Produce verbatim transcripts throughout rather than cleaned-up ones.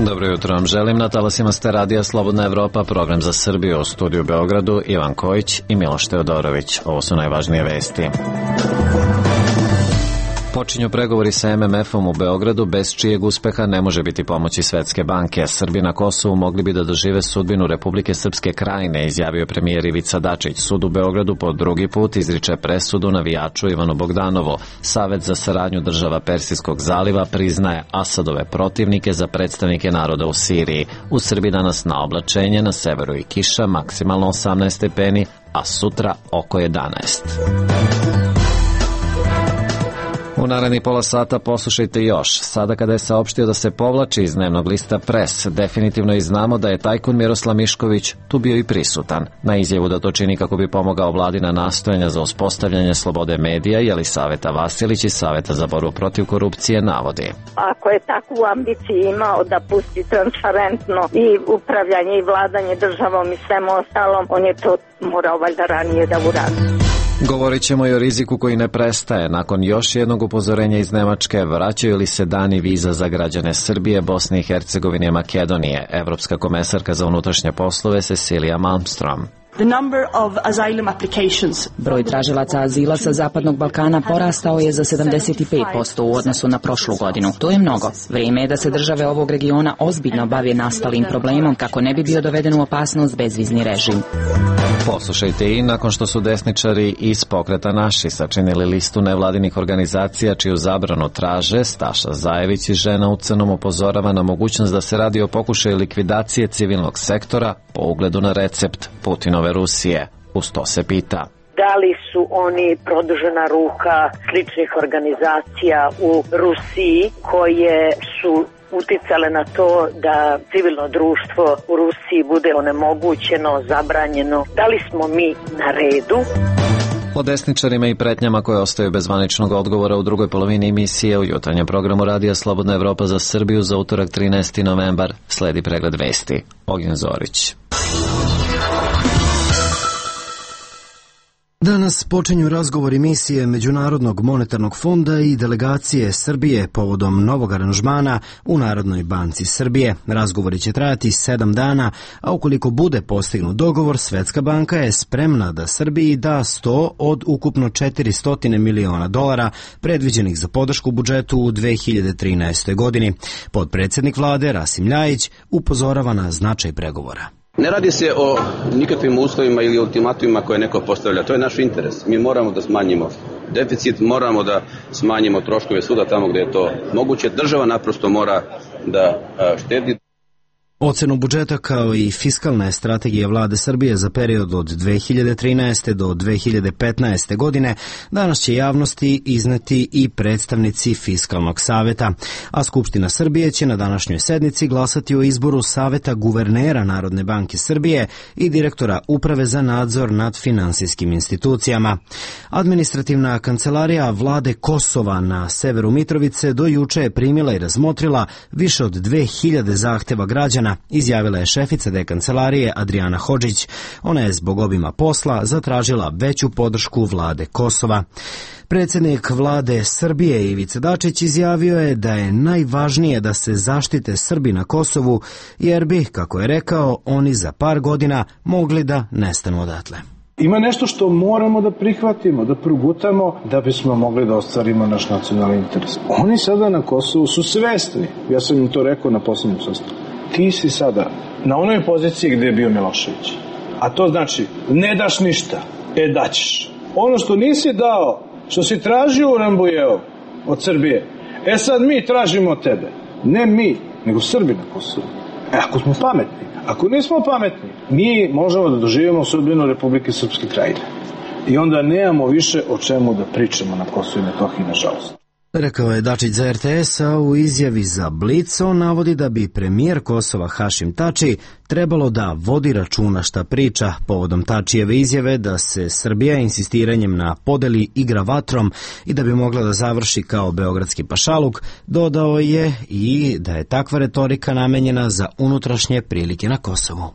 Dobro jutro vam želim. Na talasima ste radija Slobodna Evropa, program za Srbiju, u studiju u Beogradu Ivan Kojić i Miloš Teodorović. Ovo su najvažnije vesti. Počinju pregovori sa em em efom u Beogradu, bez čijeg uspeha ne može biti pomoći Svetske banke. Srbi na Kosovu mogli bi da dožive sudbinu Republike Srpske Krajine, izjavio premijer Ivica Dačić. Sud u Beogradu po drugi put izriče presudu navijaču Ivanu Bogdanovu. Savet za saradnju država Persijskog zaliva priznaje Asadove protivnike za predstavnike naroda u Siriji. U Srbiji danas na oblačenje, na severu i kiša, maksimalno osamnaest stepeni, a sutra oko jedanaest. U narednih pola sata poslušajte još. Sada kada je saopštio da se povlači iz dnevnog lista Pres, definitivno i znamo da je tajkun Miroslav Mišković tu bio i prisutan. Na izjavu da to čini kako bi pomogao vladi na nastojanja za uspostavljanje slobode medija, Jelisaveta Vasilić iz Saveta za borbu protiv korupcije navodi. Ako je takvu ambiciju imao da pusti transparentno i upravljanje i vladanje državom i svemu ostalom, on je to morao valjda ranije da uradi. Govorit ćemo i o riziku koji ne prestaje. Nakon još jednog upozorenja iz Nemačke, vraćaju li se dani viza za građane Srbije, Bosne i Hercegovine i Makedonije? Evropska komesarka za unutrašnje poslove Cecilia Malmström. Broj tražilaca azila sa Zapadnog Balkana porastao je za sedamdeset pet posto u odnosu na prošlu godinu. To je mnogo. Vrijeme je da se države ovog regiona ozbiljno bave nastalim problemom kako ne bi bio doveden u opasnost bezvizni režim. Poslušajte i nakon što su desničari iz Pokreta naši sačinili listu nevladinih organizacija čiju zabranu traže, Staša Zajević i Žena u crnom upozorava na mogućnost da se radi o pokušaju likvidacije civilnog sektora po ugledu na recept Putinove Rusije. Uz to se pita: da li su oni produžena ruka sličnih organizacija u Rusiji koje su uticale na to da civilno društvo u Rusiji bude onemogućeno, zabranjeno? Da li smo mi na redu? O desničarima i pretnjama koje ostaju bez zvaničnog odgovora u drugoj polovini emisije u jutarnjem programu radija Slobodna Evropa za Srbiju za utorak trinaesti novembar sledi pregled vesti. Ognjen Zorić. Danas počinju razgovori misije Međunarodnog monetarnog fonda i delegacije Srbije povodom novog aranžmana u Narodnoj banci Srbije. Razgovori će trajati sedam dana, a ukoliko bude postignut dogovor, Svetska banka je spremna da Srbiji da sto od ukupno četiristo miliona dolara predviđenih za podršku budžetu u dve hiljade trinaestoj. godini. Potpredsjednik vlade Rasim Ljajić upozorava na značaj pregovora. Ne radi se o nikakvim uslovima ili ultimatumima koje neko postavlja. To je naš interes. Mi moramo da smanjimo deficit, moramo da smanjimo troškove svuda tamo gdje je to moguće. Država naprosto mora da štedi. Ocenu budžeta kao i fiskalne strategije vlade Srbije za period od dve hiljade trinaeste. do dve hiljade petnaeste. godine danas će javnosti izneti i predstavnici Fiskalnog saveta, a Skupština Srbije će na današnjoj sednici glasati o izboru Saveta guvernera Narodne banke Srbije i direktora Uprave za nadzor nad finansijskim institucijama. Administrativna kancelarija vlade Kosova na severu Mitrovice do juče je primila i razmotrila više od dve hiljade zahteva građana, izjavila je šefica de kancelarije Adriana Hodžić. Ona je zbog obima posla zatražila veću podršku vlade Kosova. Predsjednik vlade Srbije Ivica Dačić izjavio je da je najvažnije da se zaštite Srbi na Kosovu, jer bi, kako je rekao, oni za par godina mogli da nestanu odatle. Ima nešto što moramo da prihvatimo, da progutamo da bismo mogli da ostvarimo naš nacionalni interes. Oni sada na Kosovu su svesni, ja sam im to rekao na poslednjem sastanku. Ti si sada na onoj poziciji gdje je bio Milošević. A to znači, ne daš ništa, e daćeš. Ono što nisi dao, što si tražio u Rambujeu od Srbije, e sad mi tražimo od tebe. Ne mi, nego Srbi na Kosovu. E ako smo pametni, ako nismo pametni, mi možemo da doživimo sudbinu Republike Srpske Krajine. I onda nemamo više o čemu da pričamo na Kosovu i Metohiji, nažalost. Rekao je Dačić za er te es, a u izjavi za Blic on navodi da bi premijer Kosova Hašim Tači trebalo da vodi računa šta priča povodom Tačijeve izjave da se Srbija insistiranjem na podeli igra vatrom i da bi mogla da završi kao beogradski pašaluk. Dodao je i da je takva retorika namenjena za unutrašnje prilike na Kosovu.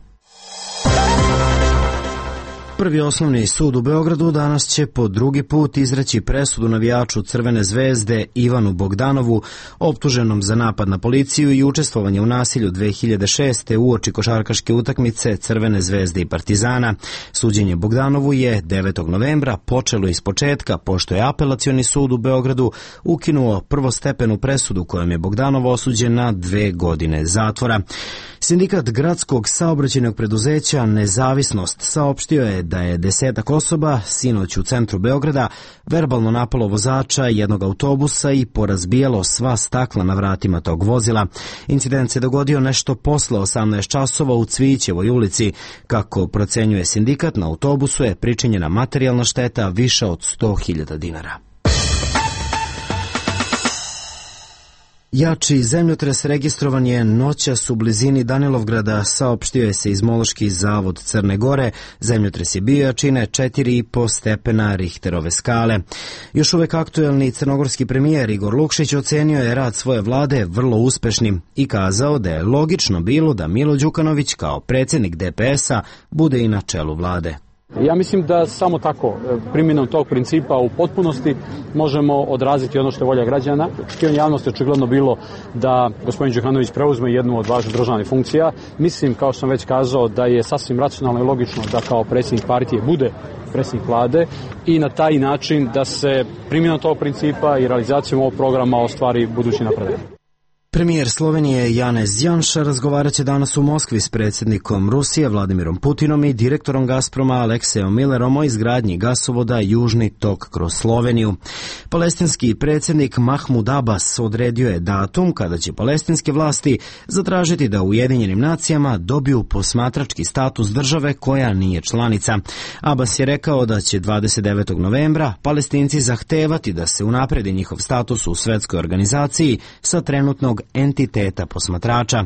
Prvi osnovni sud u Beogradu danas će po drugi put izreći presudu navijaču Crvene zvezde Ivanu Bogdanovu, optuženom za napad na policiju i učestvovanje u nasilju dve hiljade šeste uoči košarkaške utakmice Crvene zvezde i Partizana. Suđenje Bogdanovu je devetog novembra počelo iz početka, pošto je Apelacioni sud u Beogradu ukinuo prvostepenu presudu kojom je Bogdanov osuđen na dve godine zatvora. Sindikat gradskog saobraćajnog preduzeća Nezavisnost saopštio je da je desetak osoba sinoć u centru Beograda verbalno napalo vozača jednog autobusa i porazbijalo sva stakla na vratima tog vozila. Incident se dogodio nešto posle osamnaest časova u Cvićevoj ulici. Kako procenjuje sindikat, na autobusu je pričinjena materijalna šteta više od sto hiljada dinara. Jači zemljotres registrovan je noćas u blizini Danilovgrada, saopštio je Seizmološki zavod Crne Gore. Zemljotres je bio jačine četiri i po stepena Richterove skale. Još uvek aktuelni crnogorski premijer Igor Lukšić ocenio je rad svoje vlade vrlo uspešnim i kazao da je logično bilo da Milo Đukanović kao predsjednik D P S-a bude i na čelu vlade. Ja mislim da samo tako, primjenom tog principa u potpunosti možemo odraziti ono što je volja građana. Očekivanje javnosti je očigledno bilo da gospodin Đukanović preuzme jednu od važnih državnih funkcija. Mislim, kao što sam već kazao, da je sasvim racionalno i logično da kao predsjednik partije bude predsjednik vlade i na taj način da se primjenom tog principa i realizacijom ovog programa ostvari budući napredak. Premijer Slovenije Janez Janša razgovarat će danas u Moskvi s predsjednikom Rusije Vladimirom Putinom i direktorom Gazproma Aleksejom Millerom o izgradnji gasovoda Južni tok kroz Sloveniju. Palestinski predsjednik Mahmud Abbas odredio je datum kada će palestinske vlasti zatražiti da u Ujedinjenim nacijama dobiju posmatrački status države koja nije članica. Abbas je rekao da će dvadeset devetog novembra Palestinci zahtevati da se unapredi njihov status u svetskoj organizaciji sa trenutnog entiteta posmatrača.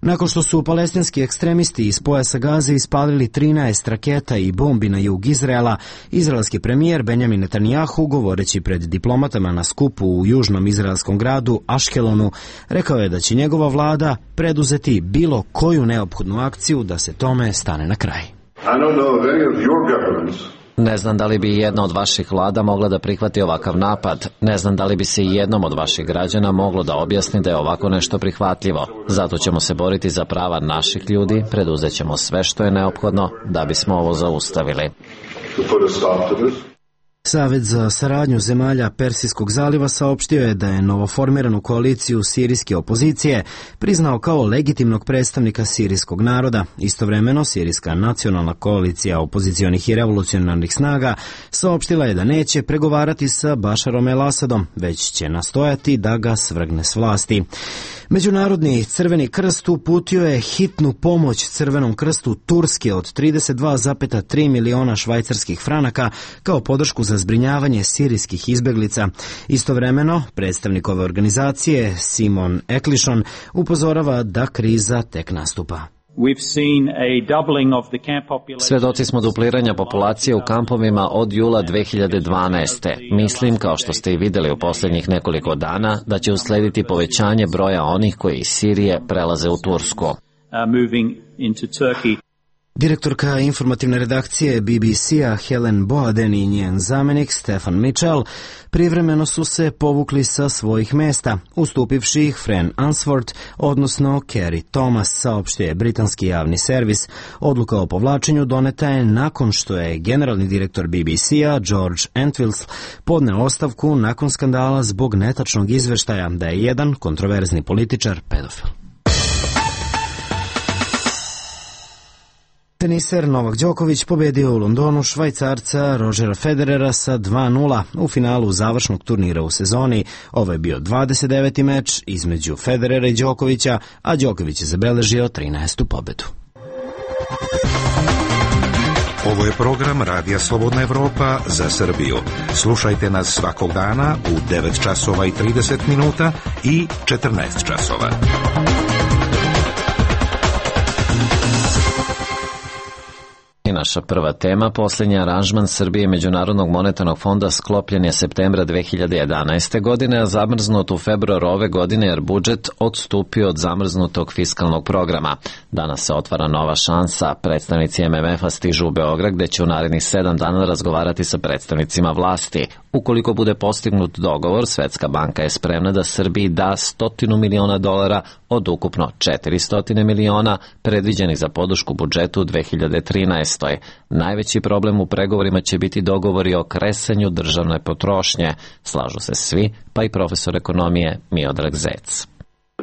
Nakon što su palestinski ekstremisti iz pojasa Gaze ispalili trinaest raketa i bombi na jug Izraela, izraelski premijer Benjamin Netanjahu, govoreći pred diplomatama na skupu u južnom izraelskom gradu Aškelonu, rekao je da će njegova vlada preduzeti bilo koju neophodnu akciju da se tome stane na kraj. Ne znam da li bi jedna od vaših vlada mogla da prihvati ovakav napad. Ne znam da li bi se i jednom od vaših građana moglo da objasni da je ovako nešto prihvatljivo. Zato ćemo se boriti za prava naših ljudi, preduzet ćemo sve što je neophodno da bismo ovo zaustavili. Savet za saradnju zemalja Persijskog zaliva saopštio je da je novoformiranu koaliciju sirijske opozicije priznao kao legitimnog predstavnika sirijskog naroda. Istovremeno, Sirijska nacionalna koalicija opozicionih i revolucionarnih snaga saopštila je da neće pregovarati sa Bašarom el-Asadom, već će nastojati da ga svrgne s vlasti. Međunarodni Crveni krst uputio je hitnu pomoć Crvenom krstu Turske od trideset dva zarez tri miliona švajcarskih franaka kao podršku za zbrinjavanje sirijskih izbeglica. Istovremeno, predstavnik ove organizacije Simon Eklišon upozorava da kriza tek nastupa. Svedoci smo dupliranja populacije u kampovima od jula dve hiljade dvanaeste. Mislim, kao što ste i vidjeli u posljednjih nekoliko dana, da će uslediti povećanje broja onih koji iz Sirije prelaze u Tursku. Direktorka informativne redakcije B B C-a Helen Boaden i njen zamenik Stefan Mitchell privremeno su se povukli sa svojih mesta, ustupivši ih Fran Answorth, odnosno Kerry Thomas, saopštio je britanski javni servis. Odluka o povlačenju doneta je nakon što je generalni direktor B B C-a George Entwistle podneo ostavku nakon skandala zbog netačnog izveštaja da je jedan kontroverzni političar pedofil. Teniser Novak Đoković pobedio u Londonu Švajcarca Rodgera Federera sa dva nula u finalu završnog turnira u sezoni. Ovo je bio dvadeset deveti meč između Federera i Đokovića, a Đoković je zabeležio trinaestu pobedu. Ovo je program Radija Slobodna Evropa za Srbiju. Slušajte nas svakog dana u devet časova i trideset minuta i četrnaest časova. naša prva tema. Posljednji aranžman Srbije i Međunarodnog monetarnog fonda sklopljen je septembra dve hiljade jedanaeste. godine, a zamrznut u februaru ove godine jer budžet odstupio od zamrznutog fiskalnog programa. Danas se otvara nova šansa. Predstavnici M M F-a stižu u Beograd gde će u narednih sedam dana razgovarati sa predstavnicima vlasti. Ukoliko bude postignut dogovor, Svetska banka je spremna da Srbiji da stotinu miliona dolara od ukupno četiristo miliona predviđenih za podršku budžetu u dve hiljade trinaestoj. Najveći problem u pregovorima će biti dogovori o kresanju državne potrošnje. Slažu se svi, pa i profesor ekonomije Miodrag Zec.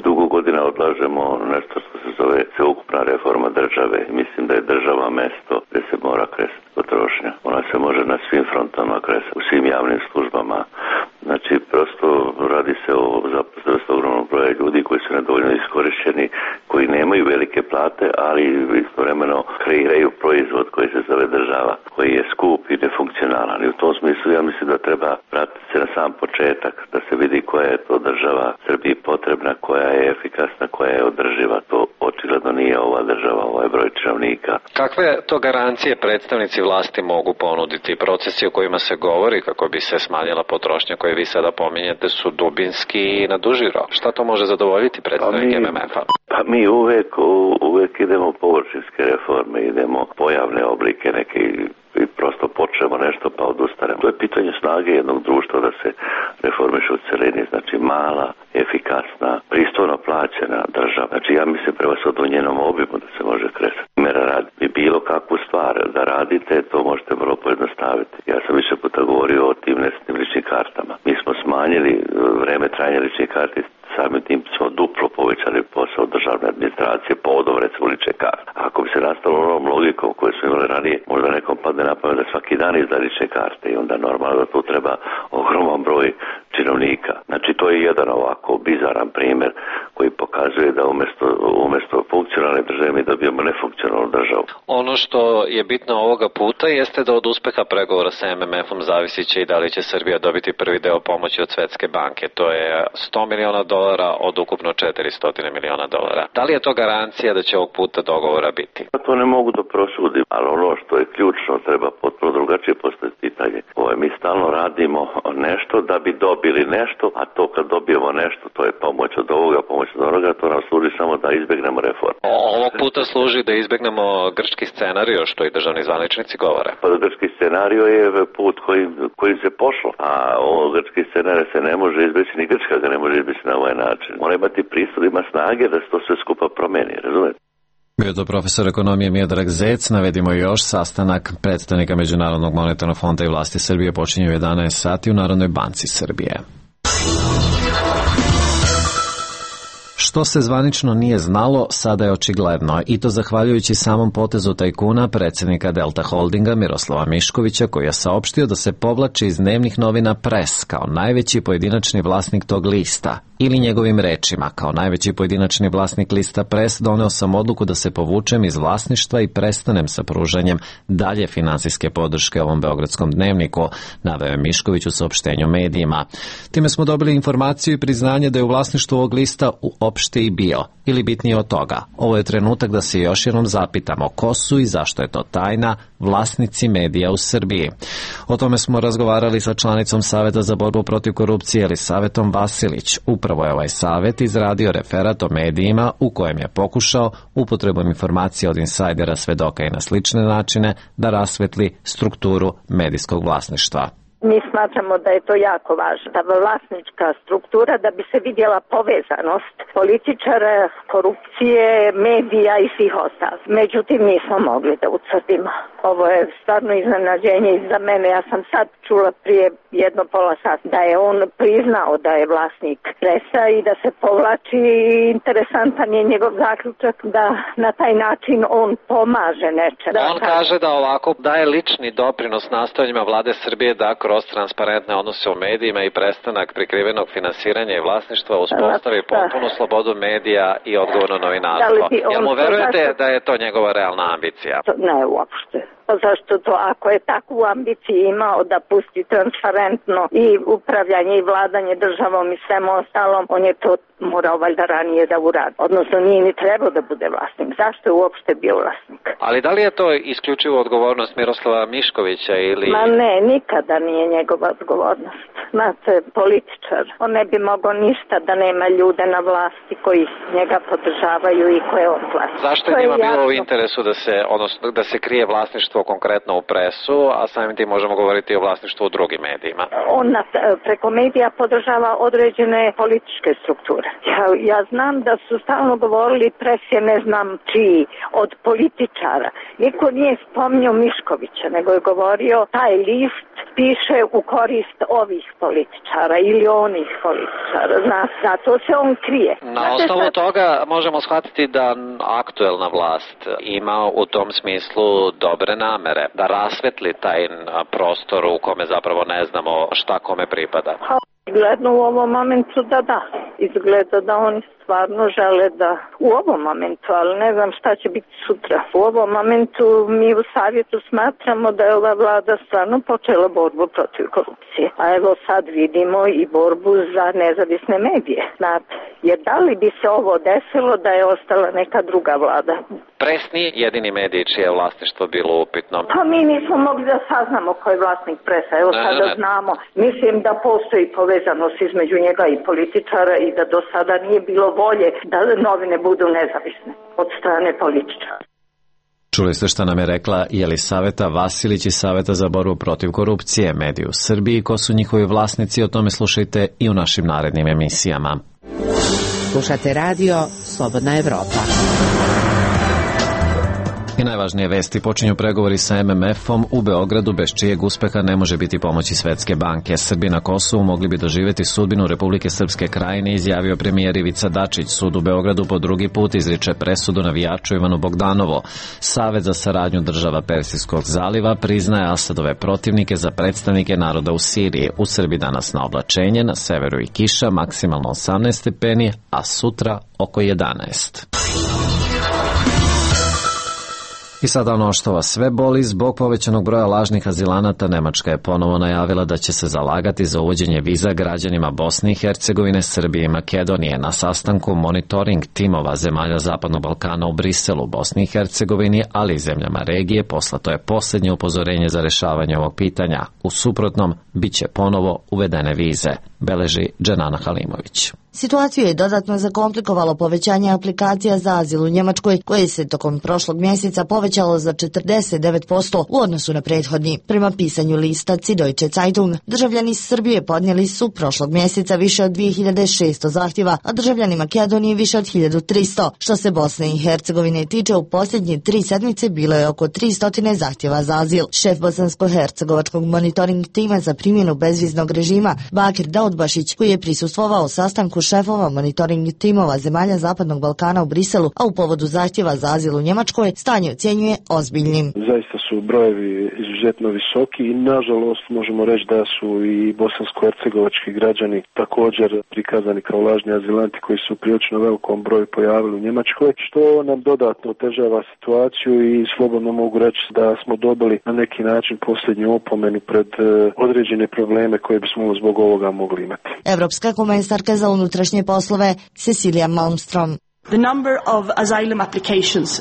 Dugo godina odlažemo nešto što se zove sveukupna reforma države. Mislim da je država mesto gde se mora kresati potrošnja. Ona se može na svim frontama kresati, u svim javnim službama. Znači, prosto radi se o zaposlenosti ogromnog broja ljudi koji su nedovoljno iskorišćeni, koji nemaju velike plate, ali istovremeno kreiraju proizvod koji se zove država, koji je skup i nefunkcionalan. I u tom smislu ja mislim da treba vratiti se na sam početak, da se vidi koja je to država Srbiji potrebna, koja je efikasna, koja je održiva. To očigledno nije ova država, ovaj broj činovnika. Kakve to garancije predstavnici vlasti mogu ponuditi? Procesi o kojima se govori kako bi se smanjila potrošnja koje vi sada pominjete su dubinski i na duži rok. Šta to može zadovoljiti predstavnik M M F-a? Pa mi uvek, uvek idemo površinske reforme, idemo pojavne oblike neke i prosto počnemo nešto pa odustanemo. To je pitanje snage jednog društva da se reformiše u celini, znači mala, efikasna, pristojno plaćena država. Znači ja mislim prema sad u njenom obimu da se može kresati. Mera radi. I bilo kakvu stvar da radite, to možete vrlo pojednostaviti. Ja sam više puta govorio o tim nesretnim ličnim kartama. Mi smo smanjili vreme trajanja ličnih karti, samim tim smo duplo povećali posao državne administracije povodom recimo lične karte. Ako bi se nastalo onom logikom koju smo imali ranije, možda nekom padne na pamet da svaki dan izda lične karte i onda normalno da tu treba ogroman broj činovnika. Znači to je jedan ovako bizaran primjer koji pokazuje da umjesto, umjesto funkcionalne države mi dobijemo nefunkcionalnu državu. Ono što je bitno ovoga puta jeste da od uspeha pregovora sa M M F-om zavisi će i da li će Srbija dobiti prvi deo pomoći od Svetske banke. To je sto miliona dolara od ukupno četiristo miliona dolara. Da li je to garancija da će ovog puta dogovora biti? To ne mogu da prosudim, ali ono što je ključno treba potpuno drugačije postaviti pitanje. Ovo, mi stalno radimo nešto da bi dobili nešto, a to kad dobijemo nešto, to je pomoć od ovoga, pomoć od onoga, to nam služi samo da izbegnemo reformu. Ovog puta služi da izbegnemo grčki scenario, što i državni zvaničnici govore. Pa grčki scenario je put kojim, kojim se pošlo, a ovo grčki scenario se ne može izbeći, ni Grčka ga ne može izbeći na ovaj način. Mora imati pristup, ima snage da se to sve skupa promeni, razumete? Bio to profesor ekonomije Miodrag Zec. Navedimo još sastanak predstavnika Međunarodnog monetarnog fonda i vlasti Srbije počinje u jedanaest sati u Narodnoj banci Srbije. Što se zvanično nije znalo, sada je očigledno, i to zahvaljujući samom potezu tajkuna predsjednika Delta Holdinga Miroslava Miškovića, koji je saopštio da se povlači iz dnevnih novina Pres kao najveći pojedinačni vlasnik tog lista. Ili njegovim rečima, kao najveći pojedinačni vlasnik lista Pres, doneo sam odluku da se povučem iz vlasništva i prestanem sa pružanjem dalje finansijske podrške ovom beogradskom dnevniku, naveo je Mišković u saopštenju medijima. Time smo dobili informaciju i priznanje da je u vlasništvu ovog lista uopšte i bio, ili bitnije od toga. Ovo je trenutak da se još jednom zapitamo ko su i zašto je to tajna vlasnici medija u Srbiji. O tome smo razgovarali sa članicom Saveta za borbu protiv korupcije Elisavetom Vasilić. Upravo je ovaj savet izradio referat o medijima u kojem je pokušao upotrebom informacija od insajdera, svedoka i na slične načine da rasvetli strukturu medijskog vlasništva. Mi smatramo da je to jako važno, da vlasnička struktura, da bi se vidjela povezanost političara, korupcije, medija i svih ostalih. Međutim, nismo mogli da utvrdimo. Ovo je stvarno iznenađenje i za mene. Ja sam sad čula prije jedno pola sata da je on priznao da je vlasnik Presa i da se povlači. Interesantan je njegov zaključak da na taj način on pomaže nečem. On kaže da ovako daje lični doprinos nastojanjima vlade Srbije da kroz transparentne odnose u medijima i prestanak prikrivenog finansiranja i vlasništva uspostavi potpunu slobodu medija i odgovorno novinarstvo. Jel mu verujete da je to njegova realna ambicija? Ne, uopšte. Pa zašto to, ako je takvu ambiciju imao da pusti transparentno i upravljanje i vladanje državom i svemu ostalom, on je to morao valjda ranije da uradi. Odnosno nije ni trebao da bude vlasnik. Zašto je uopšte bio vlasnik? Ali da li je to isključivo odgovornost Miroslava Miškovića ili... Ma ne, nikada nije njegova odgovornost. Znate, političar, on ne bi mogao ništa da nema ljude na vlasti koji njega podržavaju i koje on plaća. Zašto je njima bilo u interesu da se, odnosno, da se krije vlasništvo konkretno u presu, a samim tim možemo govoriti o vlasništvu u drugim medijima? On na, preko medija podržava određene političke strukture. Ja, ja znam da su stalno govorili pres je ne znam čiji, od političara. Niko nije spominjao Miškovića, nego je govorio taj list piše u korist ovih političara ili onih političara. Zna, zato se on krije. Na osnovu sad... toga možemo shvatiti da aktuelna vlast ima u tom smislu dobre namere, da rasvetli taj prostor u kome zapravo ne znamo šta kome pripada. Izgledno u ovom momentu da da. Izgleda da oni stvarno žele da u ovom momentu, ali ne znam šta će biti sutra. U ovom momentu mi u savjetu smatramo da je ova vlada stvarno počela borbu protiv korupcije. A evo sad vidimo i borbu za nezavisne medije. Znate, jer da li bi se ovo desilo da je ostala neka druga vlada? Pres nije jedini medij čije je vlasništvo bilo upitno. Pa mi nismo mogli da saznamo ko je vlasnik Presa. Evo ne, sada ne, ne. znamo. Mislim da postoji povezanost između njega i političara i da do sada nije bilo volje da novine budu nezavisne od strane političara. Čuli ste šta nam je rekla Jelisaveta Vasilić iz Saveta za borbu protiv korupcije, mediji u Srbiji. Ko su njihovi vlasnici, o tome slušajte i u našim narednim emisijama. Slušate radio Slobodna Evropa. I najvažnije vesti, počinju pregovori sa em em efom u Beogradu, bez čijeg uspeha ne može biti pomoći Svetske banke. Srbi na Kosovu mogli bi doživjeti sudbinu Republike Srpske Krajine, izjavio premijer Ivica Dačić. Sud u Beogradu po drugi put izriče presudu navijaču Ivanu Bogdanovo. Savet za saradnju država Persijskog zaliva priznaje Asadove protivnike za predstavnike naroda u Siriji. U Srbiji danas na oblačenje, na severu i kiša, maksimalno osamnaest stepeni, a sutra oko jedanaest. I sada ono što vas sve boli, zbog povećanog broja lažnih azilanata, Nemačka je ponovo najavila da će se zalagati za uvođenje viza građanima Bosne i Hercegovine, Srbije i Makedonije. Na sastanku monitoring timova zemalja Zapadnog Balkana u Briselu, Bosni i Hercegovini, ali i zemljama regije, poslato je posljednje upozorenje za rešavanje ovog pitanja. U suprotnom, bit će ponovo uvedene vize, beleži Dženana Halimović. Situaciju je dodatno zakomplikovalo povećanje aplikacija za azil u Njemačkoj, koje se tokom prošlog mjeseca povećalo za četrdeset devet posto u odnosu na prethodni. Prema pisanju lista Süddeutsche Zeitung, državljani Srbije podnijeli su prošlog mjeseca više od dvije hiljade šesto zahtjeva, a državljani Makedonije više od hiljadu tristo. Što se Bosne i Hercegovine tiče, u posljednje tri sedmice bilo je oko tristo zahtjeva za azil. Šef bosansko-hercegovačkog monitoring tima za primjenu bezviznog režima, Bakir Daudbašić, koji je prisustvovao sastanku šefova monitoring timova zemalja Zapadnog Balkana u Briselu, a u povodu zahtjeva za azil u Njemačkoj, stanje ocjenjuje ozbiljnim. Zaista su brojevi izuzetno visoki i nažalost možemo reći da su i bosansko-hercegovački građani također prikazani kao lažni azilanti koji su prilično velikom broju pojavili u Njemačkoj, što nam dodatno otežava situaciju i slobodno mogu reći da smo dobili na neki način posljednju opomenu pred određene probleme koje bismo zbog ovoga mogli imati. Evropska komesarka za unutrašnje poslove Cecilia Malmström.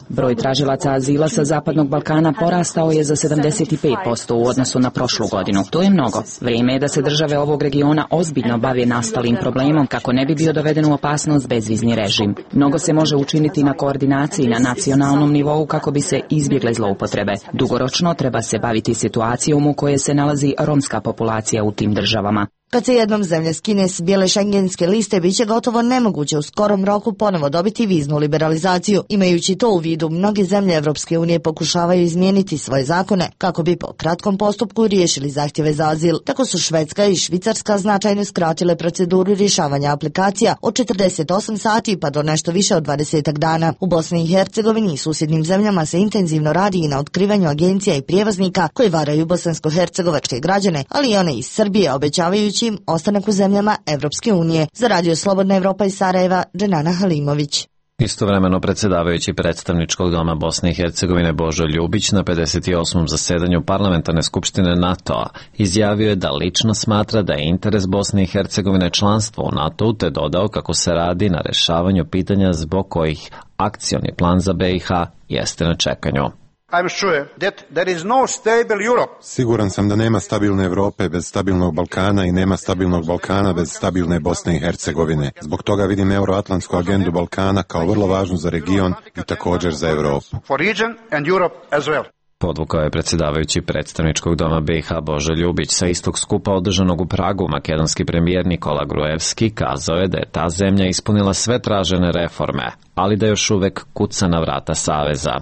Broj tražilaca azila sa Zapadnog Balkana porastao je za sedamdeset pet posto u odnosu na prošlu godinu. To je mnogo. Vrijeme je da se države ovog regiona ozbiljno bave nastalim problemom kako ne bi bio doveden u opasnost bezvizni režim. Mnogo se može učiniti na koordinaciji na nacionalnom nivou kako bi se izbjegle zloupotrebe. Dugoročno treba se baviti situacijom u kojoj se nalazi romska populacija u tim državama. Kad se jednom zemlja skine s bijele šengenske liste, bit će gotovo nemoguće u skorom roku ponovo dobiti viznu liberalizaciju. Imajući to u vidu, mnoge zemlje Evropske unije pokušavaju izmijeniti svoje zakone kako bi po kratkom postupku riješili zahtjeve za azil. Tako su Švedska i Švicarska značajno skratile proceduru rješavanja aplikacija od četrdeset osam sati pa do nešto više od dvadeset dana. U Bosni i Hercegovini i susjednim zemljama se intenzivno radi i na otkrivanju agencija i prijevoznika koji varaju bosansko-hercegovačke građane, ali i one iz Srbije, obećavajući im ostanak u zemljama Evropske unije. Za radio Slobodna Evropa iz Sarajeva, Dženana Halimović. Istovremeno predsjedavajući predstavničkog doma Bosne i Hercegovine Božo Ljubić na pedeset osmom zasedanju Parlamentarne skupštine NATO-a izjavio je da lično smatra da je interes Bosne i Hercegovine članstvo u NATO-u, te dodao kako se radi na rešavanju pitanja zbog kojih akcioni plan za B i H jeste na čekanju. I'm sure that there is no stable Europe. Siguran sam da nema stabilne Evrope bez stabilnog Balkana i nema stabilnog Balkana bez stabilne Bosne i Hercegovine. Zbog toga vidim euroatlantsku agendu Balkana kao vrlo važnu za region i također za Evropu. For region and Europe as well. Podvukao je predsjedavajući predstavničkog doma B i H Božo Ljubić. Sa istog skupa održanog u Pragu, makedonski premijer Nikola Gruevski kazao je da je ta zemlja ispunila sve tražene reforme, ali da još uvek kuca na vrata saveza.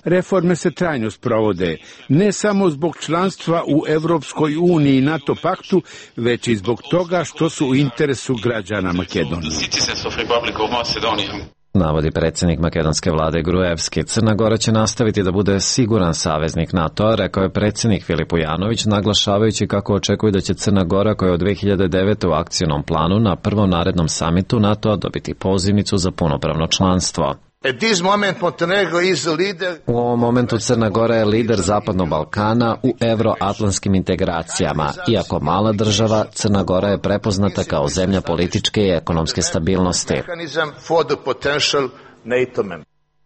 Reforme se trajno sprovode, ne samo zbog članstva u Evropskoj uniji i NATO paktu, već i zbog toga što su u interesu građana Makedonije. Navodi predsjednik makedonske vlade Gruevski. Crna Gora će nastaviti da bude siguran saveznik NATO-a, rekao je predsjednik Filip Ujanović, naglašavajući kako očekuje da će Crna Gora, koja je od dve hiljade devete u akcionom planu na prvom narednom samitu NATO-a dobiti pozivnicu za punopravno članstvo. U ovom momentu Crna Gora je lider Zapadnog Balkana u euroatlantskim integracijama. Iako mala država, Crna Gora je prepoznata kao zemlja političke i ekonomske stabilnosti.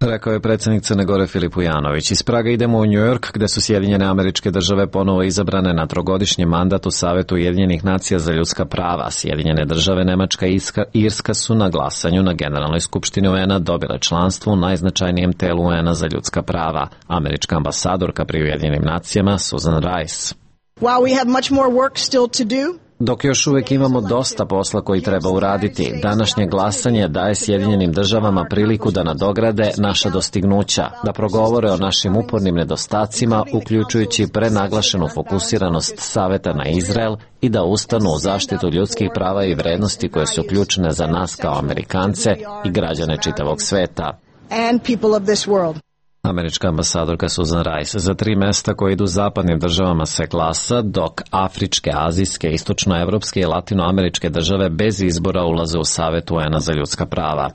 Rekao je predsjednik Crne Gore Filip Ujanović. Iz Praga idemo u New York, gde su Sjedinjene Američke Države ponovo izabrane na trogodišnji mandat u Savetu Ujedinjenih nacija za ljudska prava. Sjedinjene Države, Nemačka i Irska su na glasanju na Generalnoj skupštini U N-a dobile članstvo u najznačajnijem telu U N-a za ljudska prava. Američka ambasadorka pri Ujedinjenim nacijama Susan Rice. While we have much more work still to do, Dok još uvijek imamo dosta posla koji treba uraditi, današnje glasanje daje Sjedinjenim Državama priliku da nadograde naša dostignuća, da progovore o našim upornim nedostacima, uključujući prenaglašenu fokusiranost Saveta na Izrael, i da ustanu u zaštitu ljudskih prava i vrednosti koje su ključne za nas kao Amerikance i građane čitavog sveta. and people of this world. Američka ambasadorka Susan Rice. Za tri mesta koje idu zapadnim državama se glasa, dok afričke, azijske, istočnoevropske i latinoameričke države bez izbora ulaze u Savet U N-a za ljudska prava.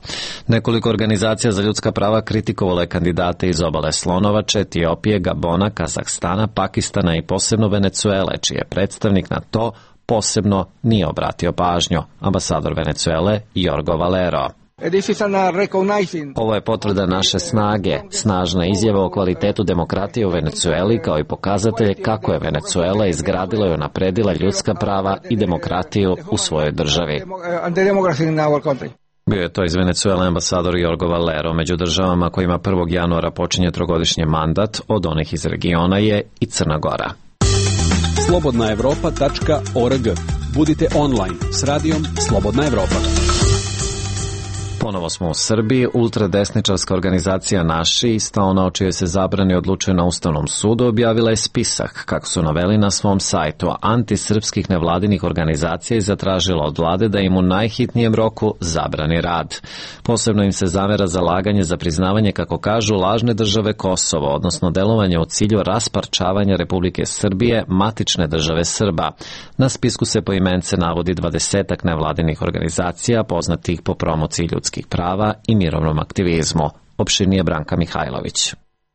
Nekoliko organizacija za ljudska prava kritikovale kandidate iz obale Slonovače, Etiopije, Gabona, Kazahstana, Pakistana i posebno Venecuele, čiji je predstavnik na to posebno nije obratio pažnju. Ambasador Venecuele Jorgo Valero. Ovo je potvrda naše snage, snažna izjava o kvalitetu demokratije u Venecueli, kao i pokazatelj kako je Venecuela izgradila i unapredila ljudska prava i demokratiju u svojoj državi. Bio je to iz Venecuele ambasador Jorgo Valero. Među državama kojima prvog januara počinje trogodišnji mandat od onih iz regiona je i Crna Gora. slobodna evropa tačka org. Budite online s radijom Slobodna Evropa. Ponovo smo u Srbiji. Ultradesničarska organizacija Naši, ista ona o čijoj se zabrani odlučuje na Ustavnom sudu, objavila je spisak, kako su naveli na svom sajtu, antisrpskih nevladinih organizacija i zatražila od vlade da im u najhitnijem roku zabrani rad. Posebno im se zamera zalaganje za priznavanje, kako kažu, lažne države Kosovo, odnosno delovanje u cilju rasparčavanja Republike Srbije, matične države Srba. Na spisku se poimence navodi dvadesetak nevladinih organizacija poznatih po promociji ljudskih prava i mirovnom aktivizmu. Opširnije Branka Mihajlović.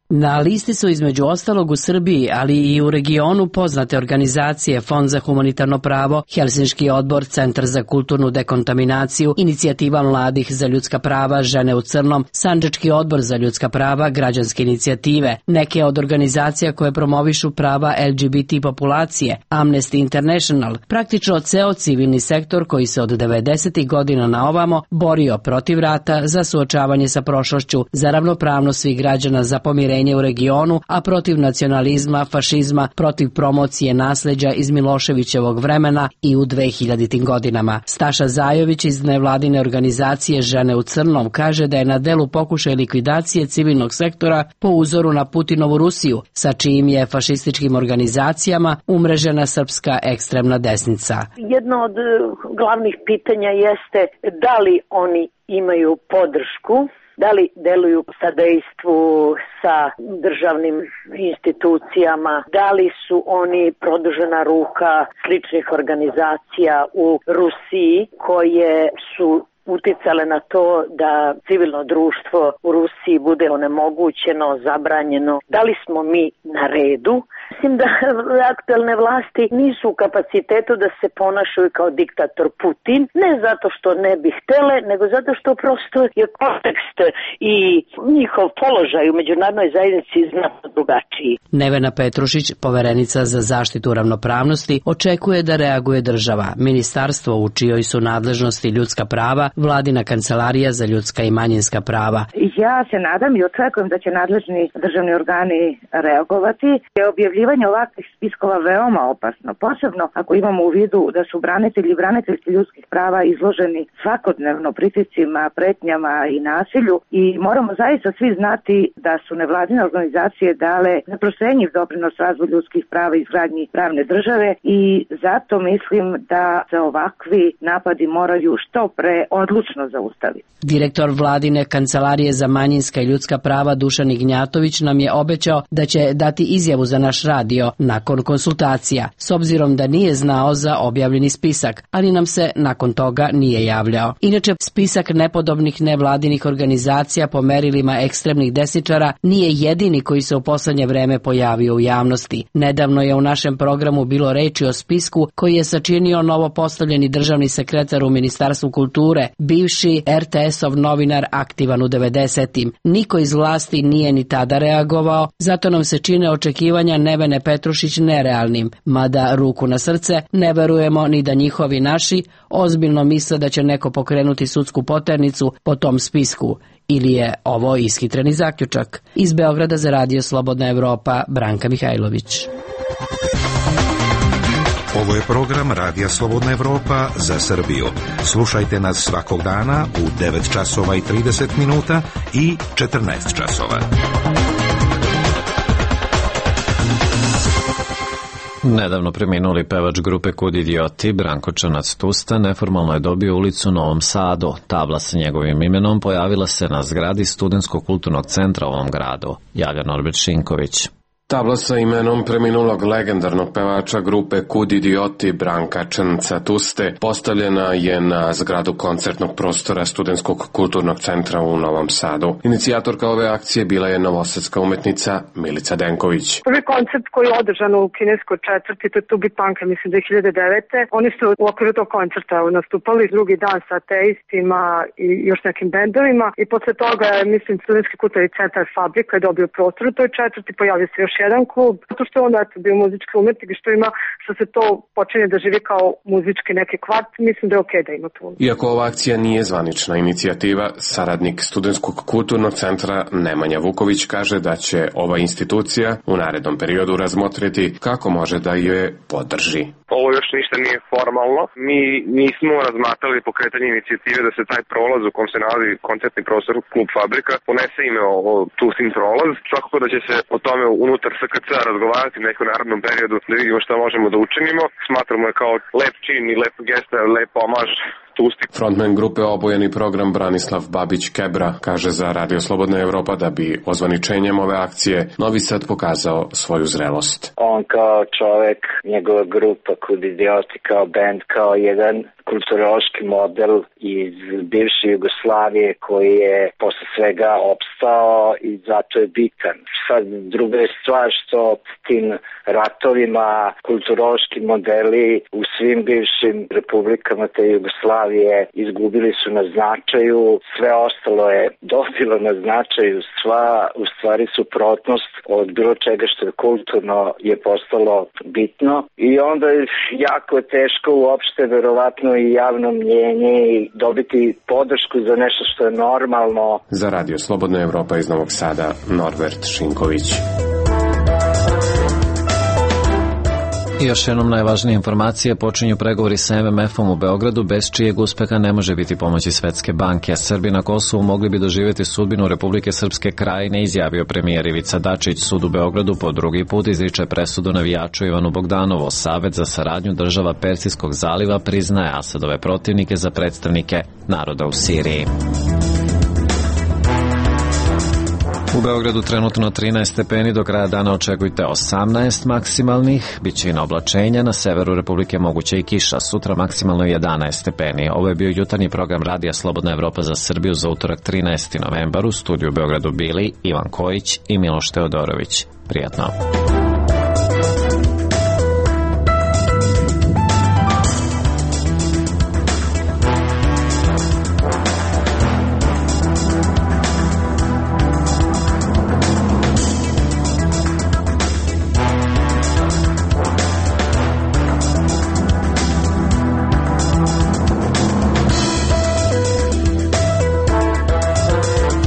Na listi su između ostalog u Srbiji, ali i u regionu poznate organizacije Fond za humanitarno pravo, Helsinški odbor, Centar za kulturnu dekontaminaciju, Inicijativa mladih za ljudska prava, Žene u crnom, Sandžački odbor za ljudska prava, Građanske inicijative, neke od organizacija koje promovišu prava L G B T populacije, Amnesty International, praktično ceo civilni sektor koji se od devedesetih godina na ovamo borio protiv rata, za suočavanje sa prošlošću, za ravnopravnost svih građana, za pomirenje u regionu, a protiv nacionalizma, fašizma, protiv promocije nasleđa iz Miloševićevog vremena i u dvehiljaditim godinama. Staša Zajović iz nevladine organizacije Žene u crnom kaže da je na delu pokušaj likvidacije civilnog sektora po uzoru na Putinovu Rusiju, sa čijim je fašističkim organizacijama umrežena srpska ekstremna desnica. Jedno od glavnih pitanja jeste da li oni imaju podršku, da li deluju u sadejstvu sa državnim institucijama, da li su oni produžena ruka sličnih organizacija u Rusiji koje su uticale na to da civilno društvo u Rusiji bude onemogućeno, zabranjeno. Da li smo mi na redu? Mislim da aktuelne vlasti nisu u kapacitetu da se ponašaju kao diktator Putin, ne zato što ne bi htele, nego zato što prosto je kontekst i njihov položaj u međunarodnoj zajednici znatno drugačiji. Nevena Petrušić, poverenica za zaštitu ravnopravnosti, očekuje da reaguje država, ministarstvo u čijoj su nadležnosti ljudska prava, vladina kancelarija za ljudska i manjinska prava. Ja se nadam i očekujem da će nadležni državni organi reagovati. Objavljivanje ovakvih spiskova veoma opasno, posebno ako imamo u vidu da su branitelji i braniteljci ljudskih prava izloženi svakodnevno pritiscima, pretnjama i nasilju i moramo zaista svi znati da su nevladine organizacije dale neprocenjiv doprinos razvoju ljudskih prava i izgradnji pravne države i zato mislim da se ovakvi napadi moraju što pre odlučno zaustaviti. Direktor vladine kancelarije za manjinska i ljudska prava Dušan Ignjatović nam je obećao da će dati izjavu za naš radio nakon konsultacija, s obzirom da nije znao za objavljeni spisak, ali nam se nakon toga nije javljao. Inače, spisak nepodobnih nevladinih organizacija po merilima ekstremnih desničara nije jedini koji se u poslednje vreme pojavio u javnosti. Nedavno je u našem programu bilo reči o spisku koji je sačinio novopostavljeni državni sekretar u Ministarstvu kulture, bivši er te esov novinar aktivan u devedesetim. Niko iz vlasti nije ni tada reagovao, zato nam se čine očekivanja Nevene Petrušić nerealnim, mada ruku na srce ne verujemo ni da njihovi naši ozbiljno misle da će neko pokrenuti sudsku poternicu po tom spisku. Ili je ovo ishitreni zaključak? Iz Beograda za Radio Slobodna Evropa, Branka Mihajlović. Ovo je program Radija Slobodna Evropa za Srbiju. Slušajte nas svakog dana u devet časova i trideset minuta i četrnaest časova. Nedavno preminuli pevač grupe Kud idioti, Branko Čanac-Tusta, neformalno je dobio ulicu u Novom Sadu. Tabla sa njegovim imenom pojavila se na zgradi Studentskog kulturnog centra u ovom gradu. Javlja Norbert Šinković. Tabla sa imenom preminulog legendarnog pevača grupe Kud idioti Branka Čanca-Tuste postavljena je na zgradu koncertnog prostora Studentskog kulturnog centra u Novom Sadu. Inicijatorka ove akcije bila je novosadska umetnica Milica Denković. Prvi koncert koji je održan u kineskoj četvrti, to je Tubi Punk, mislim dve hiljade devete. Oni su u okviru tog koncerta nastupali drugi dan sa ateistima i još nekim bendovima i posle toga je, mislim, Studentski kulturni centar Fabrika je dobio prostor u toj četvrti, pojavio se još jedan klub, zato što je onda eto, bio muzički umetnik i što ima, što se to počinje da živi kao muzički neki kvart, mislim da je okej da ima tu. Iako ova akcija nije zvanična inicijativa, saradnik Studentskog kulturnog centra Nemanja Vuković kaže da će ova institucija u narednom periodu razmotriti kako može da je podrži. Ovo još ništa nije formalno. Mi nismo razmatrali pokretanje inicijative da se taj prolaz u kom se nalazi koncertni prostor Klub Fabrika ponese ime o Tustin prolaz. Svakako da će se o tome unutar es ka ce razgovarati u nekom narodnom periodu da vidimo šta možemo da učinimo. Smatramo je kao lep čin i lep gesta, lep omaž Tusti. Frontman grupe Obojeni program Branislav Babić-Kebra kaže za Radio Slobodna Evropa da bi ozvaničenjem ove akcije Novi Sad pokazao svoju zrelost. On kao čovek, njegova grupa Kud idioti, kao band, kao jedan kulturološki model iz bivše Jugoslavije koji je posle svega opstao i zato je bitan. Sad druga je stvar što tim ratovima kulturološki modeli u svim bivšim republikama te Jugoslavije izgubili su na značaju, sve ostalo je dobilo na značaju, sva u stvari suprotnost od bilo čega što je kulturno je postalo bitno i onda je jako teško uopšte verovatno i javno mnjenje i dobiti podršku za nešto što je normalno. Za Radio Slobodna Evropa iz Novog Sada, Norbert Šinković. I još jednom najvažnije informacije, počinju pregovori sa em em efom u Beogradu, bez čijeg uspeha ne može biti pomoći Svetske banke. Srbi na Kosovu mogli bi doživjeti sudbinu Republike Srpske Krajine, izjavio premijer Ivica Dačić. Sud u Beogradu po drugi put izriče presudu navijaču Ivanu Bogdanovu. Savet za saradnju država Persijskog zaliva priznaje Asadove protivnike za predstavnike naroda u Siriji. U Beogradu trenutno trinaest stepeni, do kraja dana očekujte osamnaest maksimalnih, bit će i na oblačenja, na severu Republike moguće i kiša, sutra maksimalno jedanaest stepeni. Ovo je bio jutarnji program Radija Slobodna Evropa za Srbiju za utorak trinaesti novembar. U studiju u Beogradu bili Ivan Kojić i Miloš Teodorović. Prijatno.